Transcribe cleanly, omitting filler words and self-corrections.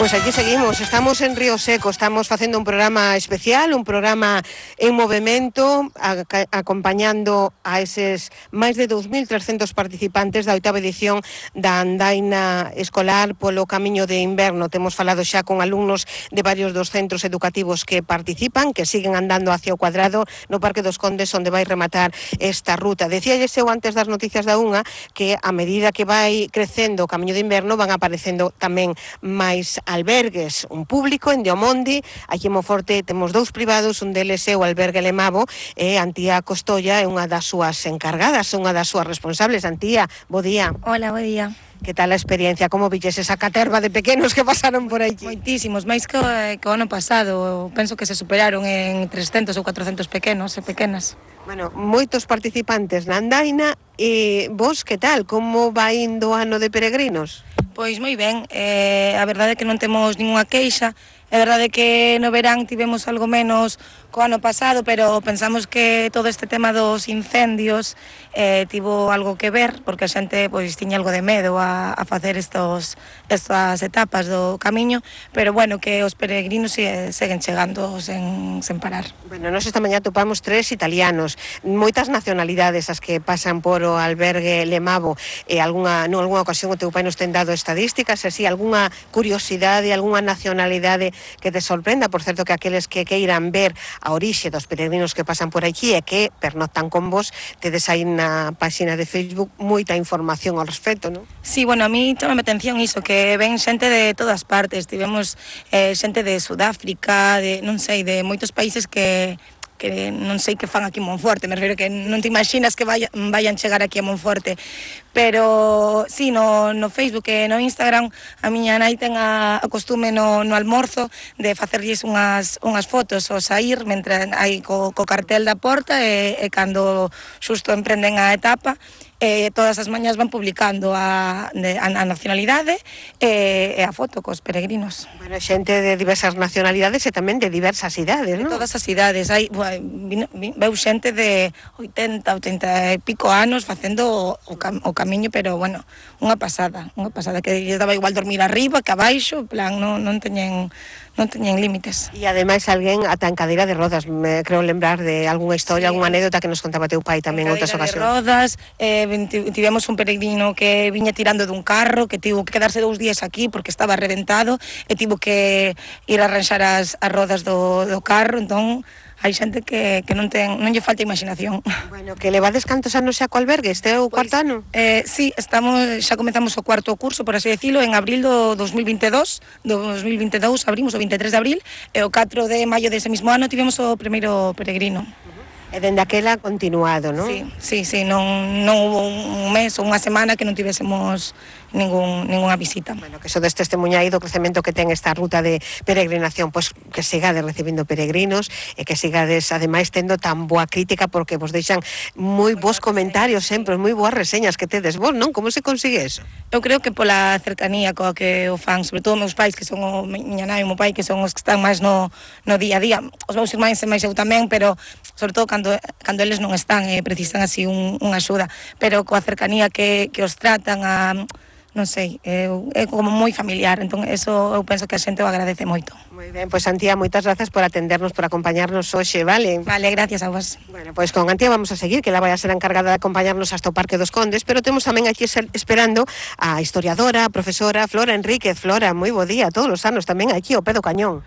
Pois aquí seguimos, estamos en Río Seco, estamos facendo un programa especial, un programa en movimento, acompañando a eses máis de 2.300 participantes da 8ª edición da andaina escolar polo camiño de inverno. Temos falado xa con alumnos de varios dos centros educativos que participan, que siguen andando hacia o cuadrado no Parque dos Condes, onde vai rematar esta ruta. Decíalles eu antes das noticias da unha que a medida que vai crecendo o camiño de inverno van aparecendo tamén máis albergues, un público en Diomondi, aquí en Monforte temos dous privados, un deles é o albergue Lemavo, e Antía Costolla é unha das súas encargadas, unha das súas responsables. Antía, bo día. Hola, bo día. Que tal a experiencia? Como villes esa caterva de pequenos que pasaron por aquí? Moitísimos, máis que o ano pasado. Penso que se superaron en 300 ou 400 pequenos e pequenas. Bueno, moitos participantes na andaina. E vos, que tal? Como vai indo o ano de peregrinos? Pois moi ben, a verdade é que non temos ninguna queixa. É verdade que no verán tivemos algo menos co ano pasado, pero pensamos que todo este tema dos incendios tivo algo que ver, porque a xente pois tiña algo de medo a facer estas etapas do camiño, pero bueno, que os peregrinos seguen chegando sen parar. Bueno, nós esta mañá topamos 3 italianos, moitas nacionalidades as que pasan por o albergue Lemavo. Algunha ocasión o teu pai nos ten dado estadísticas, así, algunha curiosidade, algunha nacionalidade que te sorprenda. Por certo, que aqueles que queiran ver a orixe dos peregrinos que pasan por aquí e que pernoctan con vos, tedes aí na página de Facebook moita información ao respecto, non? Sí, bueno, a mí chama a atención iso, que ven xente de todas partes. Tivemos xente de Sudáfrica, de moitos países que non sei que fan aquí en Monforte, me refiro que non te imaginas que vayan chegar aquí a Monforte, pero sí, no Facebook e no Instagram a miña nai ten a costume no almorzo de facerlles unhas fotos ao sair, mentre hai co cartel da porta e cando xusto emprenden a etapa. Todas as mañas van publicando a nacionalidade e a foto cos peregrinos. Bueno, xente de diversas nacionalidades e tamén de diversas idades, non? De todas as idades. Veu xente de 80 e pico anos facendo o camiño, pero bueno, unha pasada, que lles daba igual dormir arriba que abaixo, plan, non teñen límites. E ademais alguén ata en cadeira de rodas, me creo lembrar de algunha historia, algunha anécdota que nos contaba teu pai tamén en outras ocasións. En cadeira de rodas, tivemos un peregrino que viña tirando dun carro, que tivo que quedarse 2 días aquí porque estaba reventado e tivo que ir a arranxar as rodas do carro. Entón hai xente que non lle falta imaginación. Bueno, que levades cantos anos xa co albergue? Este é o cuarto ano? Sí, xa comezamos o cuarto curso, por así decirlo, en abril do 2022. Abrimos o 23 de abril, e o 4 de maio dese mismo ano tivemos o primeiro peregrino. E dende aquela continuado, non? Sí, non hubo un mes ou unha semana que non tivésemos ningunha visita. Bueno, que sodes testemunhai do crecemento que ten esta ruta de peregrinación, pois que sigades recibindo peregrinos e que sigades ademais tendo tan boa crítica, porque vos deixan moi bons comentarios sempre, moi boas reseñas que tedes vos, non? Como se consigue eso? Eu creo que pola cercanía coa que o fan, sobre todo meus pais, que son miña nai e o meu pai, que son os que están máis no día a día. Os meus irmáns e máis eu tamén, pero sobre todo cando eles non están e precisan así unha axuda, pero coa cercanía que os tratan non sei, é como moi familiar, entón eso eu penso que a xente o agradece moito. Moi ben, pois Antía, moitas grazas por atendernos, por acompañarnos hoxe, vale? Vale, gracias a vos. Bueno, pois con Antía vamos a seguir, que ela vai a ser a encargada de acompañarnos hasta o Parque dos Condes, pero temos tamén aquí esperando a historiadora, a profesora Flora Enríquez. Flora, moi bo día, todos os anos tamén aquí ao pé do cañón.